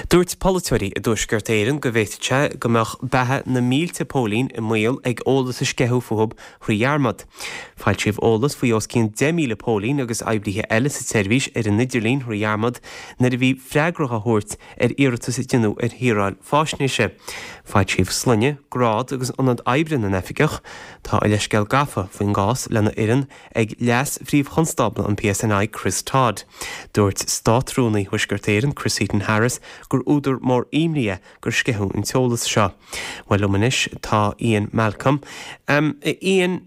Dúirt polaiteoirí i dTuaisceart Éireann go bhféadfadh sé go mbeadh beatha na mílte póilín i mbaol ag eolas a sceitheadh fúthu thrí dhearmad. Foilsíodh eolas faoi os cionn 10,000 póilín agus oibrithe eile sa tseirbhís ar an idirlíon thrí dhearmad nuair a bhí freagra á thabhairt ar iarratas a deineadh ar shaoráil faisnéise. Foilsíodh sloinne, grád agus ionad oibre na n-oifigeach. Tá a leithscéal gafa faoin gcás lena fhoireann ag Leas-Phríomh-Chonstábla an PSNI, Chris Todd. Dúirt Státrúnaí Thuaisceart Éireann, Chris Heaton-Harris, gur údar mór imní é gur sceitheadh an t-eolas seo. Bhuel, liom anois tá Ian Malcolm. Ian,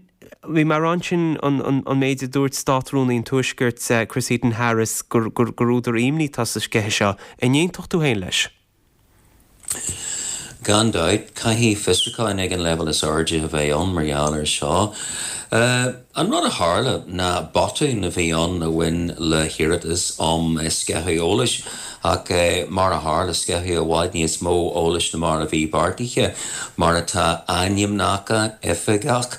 bhí mé ag rá ansin an méid a dúirt Státrúnaí an Tuaiscirt, Chris Heaton-Harris, gur údar imní atá sa sceitheadh seo. An aontódh tú féin leis? Gan dabht, caithfidh fiosrúcháin ag an leibhéal is airde a bheith ann mar gheall air seo. An rud a tharla ná botún a bhí ann a bhain le hiarratas um sceitheadh eolais ach mar a tharla, sceitheadh i bhfad níos mó eolais ná mar a bhí beartaithe, mar atá ainmneacha oifigeach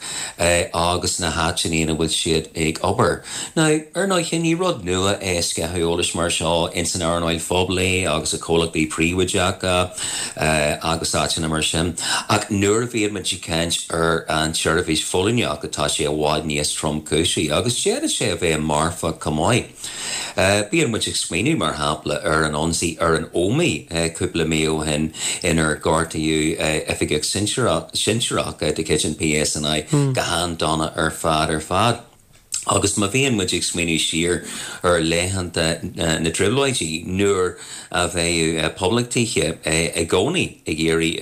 agus na háiteanna ina bhfuil siad ag obair. Now, ar ndóighe, ní rud nua é sceitheadh eolais mar seo ins an earnáil phoiblí agus i comhlachtaí príobháideacha agus áiteanna mar sin, ach nuair a bhíonn muid ag caint ar an tseirbhís phóilíneachta tá sé i bhfad níos tromchúisí agus d'fhéadfadh sé a bheith marfach chomh maith. Bíonn muid ag smaoineamh, mar shampla, ar an ionsaí ar an Ómaigh cúpla mí ó shin inar gortaíodh oifigeach sinsearach de chuid an PSNI go han-dona ar fad ar fad. Agus má bhíonn muid ag smaoineamh siar ar laethanta na dTrioblóidí, nuair a bheadh poblachtaithe i gcónaí ag iarraidh,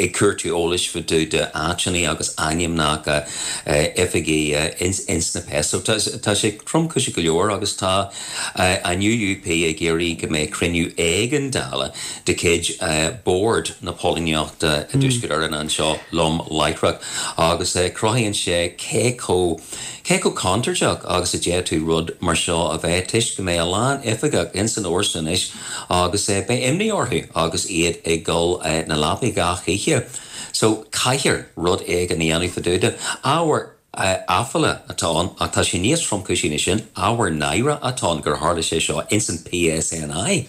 ag cuartú eolais fá dtaobh de áiteanna agus ainmneacha oifigigh ins na PS. So tá sé tromchúiseach go leor agus tá an UUP ag iarraidh go mbeidh cruinniú éigeandála de chuid Bord na Póilíneachta i dTuaisceart Éireann anseo lom láithreach agus cruthaíonn sé cé chomh cé chomh contúirteach agus a d'fhéadfadh rud mar seo a bheith toisc go mbeidh a lán oifigeach ins an fhórsa anois agus beidh imní orthu agus iad ag dul 'na leapaí gach oíche. So caithfear rud éigin a dhéanamh fá dtaobh de. Ábhar aiféala atá ann ach tá sé níos tromchúisí ná sin, ábhar náire atá ann gur tharla sé seo ins an PSNI.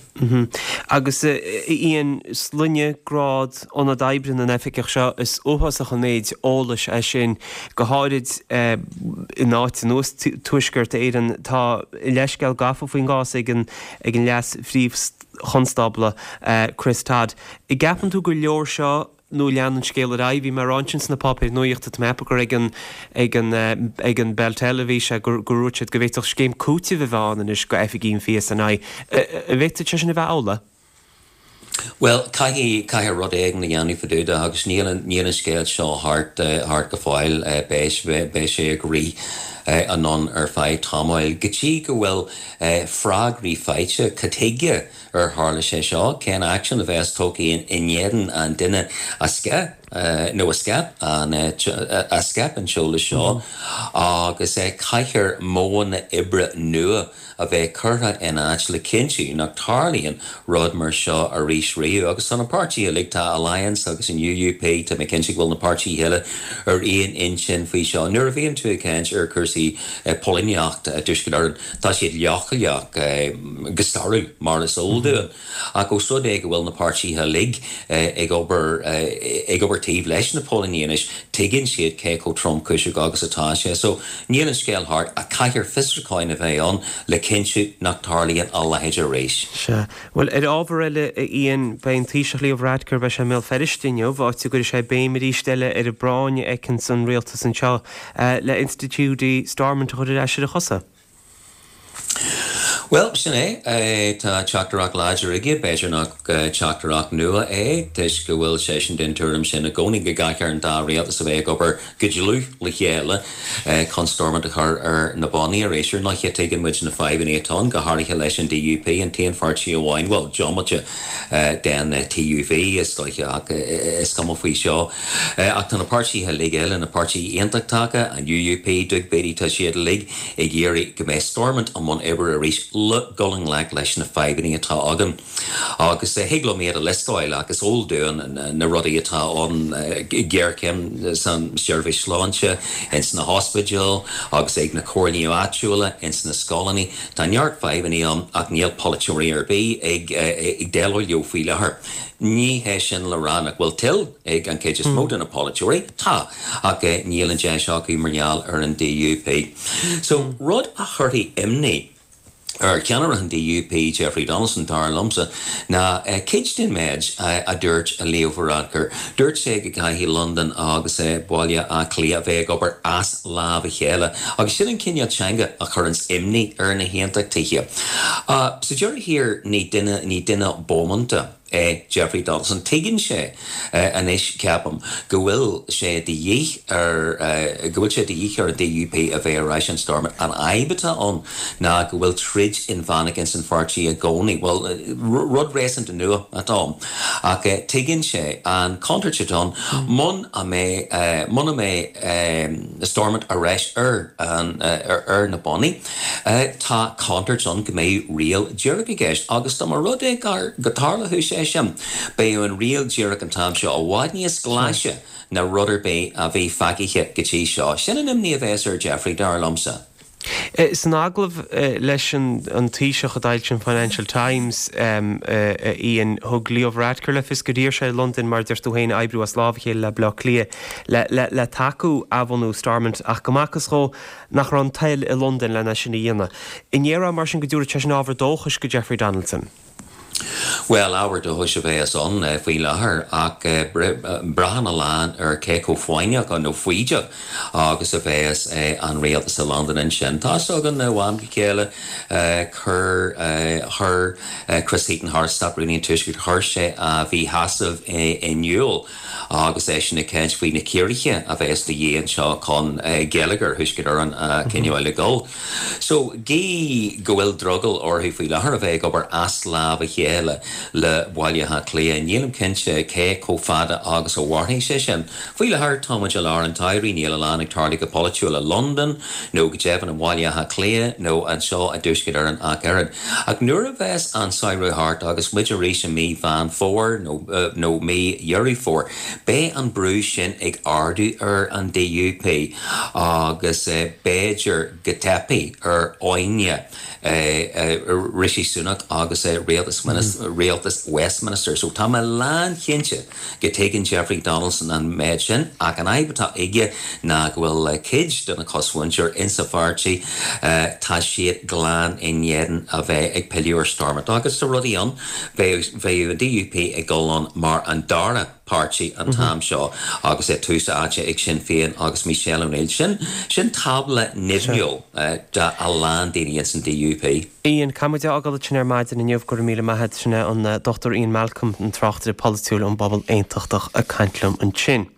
Agus a Ian, sloinne, grád, ionad oibre na n-oifigeach seo, is uafásach an méid eolais é sin, go háirid in áit ar nós Tuaisceart Éireann. Tá leithscéal gafa faoin gcás ag an ag an Leas-Phríomh-Chonstábla, Chris Todd. An gceapann tú gur leor seo nó leanann an scéal ar aghaidh. Bhí mé ag rá ansin sna páipéir nuachta, tá mé ag ceapadh gur ag an, ag an, ag an Beltel a bhí sé, gur, gur dhúirt siad go bhféadfadh scéim cúitimh a bheith ann anois go oifigigh an PSNI. An bhféadfadh sé sin a bheith amhlaidh? Bhuel, caithfidh, caithfidh rud éigin a dhéanamh fá dtaobh de agus níl an, níl an scéal seo thart, thart go fóill. Beidh, beidh sé ag rith anonn ar feadh tamaill go dtí go bhfuil freagraí faighte. Cad chuige ar tharla sé seo? Cén aicsean a bheas tógtha in éadan an duine a sceith nó a scaip an a scaip an t-eolas seo? Agus caithfear modhanna oibre nua a bheith curtha in áit le cinntiú nach tarlaíonn rud mar seo arís riamh. Agus tá na páirtithe uilig, tá Alliance agus an UUP, tá mé cinnte go bhfuil na páirtithe eile ar aon intinn faoi seo. Nuair a bhíonn tú ag caint ar chúrsaí póilíneachta i dTuaisceart Éireann, Tá siad leochaileach go stairiúil, mar is eol dúinn, ach ós rud é go bhfuil na páirtithe uilig ag obair ag obair taobh leis na póilíní anois, tuigeann siad cé chomh tromchúiseach agus atá sé. So, níl an scéal thart, ach caithfear fiosrúcháin a bheith ann le cinntiú nach dtarlaíonn a leithéid arís. Sea. Bhuel, ar ábhar eile, a Ian, beidh an Taoiseach Leo Varadkar, beidh sé i mBéal Feirste inniu, áit a gcuirfidh sé béim arís eile ar an bpráinn a fheiceanns an rialtas anseo le institiúidí Stormont a chur ar ais ar a chosa. Bhuel, sin é. Tá teachtaireacht láidir aige. B'fhéidir nach teachtaireacht nua é, toisc go bhfuil seisean den tuairim sin i gcónaí go gcaithfear an dá rialtas a bheith ag obair go dlúth le chéile chun Stormont a chur ar na bonnaí arís. Ar ndóighe, tuigeann muid na fadhbanna atá ann, go háirithe leis an DUP, an t-aon pháirtí amháin, bhuel, diomaite den TUV, is dóiche, ach is cuma faoi seo. Ach tá na páirtithe uilig eile, na páirtithe aontachtacha, an UUP, Doug Beattie, tá siad uilig ag iarraidh go mbeidh Stormont i mbun oibre arís. le dul i ngleic leis na fadhbanna atá againn. Agus thig liom iad a liostáil ach is eol dúinn na rudaí atá ann, géarchéim san seirbhís sláinte, ins na hospidéil agus ag na comhairlí áitiúla, ins na scoileanna. Tá neart fadhbanna ann ach níl polaiteoirí ar bith ag déileáil leo faoi láthair. Ní hé sin le rá nach bhfuil toil ag an chuid is mó de na polaiteoirí, tá, ach níl an deis acu mar gheall ar an DUP. So, rud a chuirfidh imní ar cheannaire an DUP, Jeffrey Donaldson, dar liomsa, ná cuid den méid a dúirt Leo Varadkar. Dúirt sé go gcaithfidh Londain agus Baile Átha Cliath a bheith ag obair as lámh a chéile, agus sin an cineál teanga a chuireanns imní ar na hAontachtaithe. Sa deireadh thiar, ní duine, ní duine bómánta é Jeffrey Donaldson. Tuigeann sé anois, ceapaim, go bhfuil sé de dhíth ar, go bhfuil sé de dhíth ar an DUP a bheith ar ais in Stormont. An fhadhb atá ann ná go bhfuil troid inmheánach ins an pháirtí i gcónaí. Bhuel, rud réasúnta nua atá ann. Ach tuigeann sé an chontúirt atá ann muna mbeidh, muna mbeidh Stormont ar ais ar an, ar na bonnaí. Tá contúirt ann go mbeidh riail dhíreach i gceist agus dá mba rud é go dtarlódh sé sin, beidh an riail dhíreach an t-am seo i bhfad níos glaise ná rud ar bith a bhí feicthe go dtí seo. Sin an imní a bheas ar Jeffrey, dar liomsa. San agallamh leis an Taoiseach a d'fhoilsigh an Financial Times, a Ian, thug Leo Varadkar le fios gur iarr sé ar Londain, mar a deir tú féin, oibriú as lámh a chéile le Baile Átha Cliath le tacú athbhunú Stormont ach go mb'fhacthas dhó nach raibh an toil i Londain len é sin a dhéanamh. An ndéarfá mar sin go dtabharfadh sé sin ábhar dóchais go Jeffrey Donaldson? Bhuel, ábhar dóchais a bheas ann faoi láthair ach braitheann a lán ar cé chomh foighneach nó foighdeach agus a bheas an rialtas i Londain ansin. Tá's againn ó am go chéile chuir chuir Chris Heaton-Harris, Stát-Rúnaí an Tuaiscirt, chuir sé a mhíshásamh in iúl agus eisean ag caint faoi na ciorruithe a bheas de dhíth anseo chun geilleagar Thuaisceart Éireann a choinneáil ag dul. So, gí go bhfuil drogall orthu faoi láthair a bheith ag obair as lámh a chéile le Baile Átha Cliath, nílim cinnte cé chomh fada agus a mhairfidh sé sin. Faoi láthair, tá muid i lár an tsamhraidh, níl a lán ag tarlú go polaitiúil i Londain, nó go deimhin i mBaile Átha Cliath, nó anseo i dTuaisceart Éireann ach oiread. Ach nuair a bheas an samhradh thart agus muid arís i mí Mheán Fómhair nó nó mí Dheireadh Fómhair, beidh an brú sin ag ardú ar an DUP agus b'fhéidir go dteipfidh ar fhoighne Rishi Sunak agus rialtas rialtas Westminster. So tá mé lánchinnte go dtuigeann Jeffrey Donaldson an méid sin ach an fhadhb atá aige ná go bhfuil cuid de na cosmhuintir insa pháirtí, tá siad glan in éadan a bheith ag pilleadh ar Stormont. Agus tá rudaí ann, bheadh an DUP ag dul ann mar an dara páirtí an t-am seo agus é tús áite ag Sinn Féin agus Michelle O'Neill. Sin, sin tábla nimhniúil do a lán daoine ins an DUP. Ian, caithfidh muid é a fhágáil ansin ar maidin inniu, go raibh míle maith a't. Sin é an Dr Ian Malcolm, an tráchtaire polaitiúil ón bpobal aontachtach ag caint liom ansin.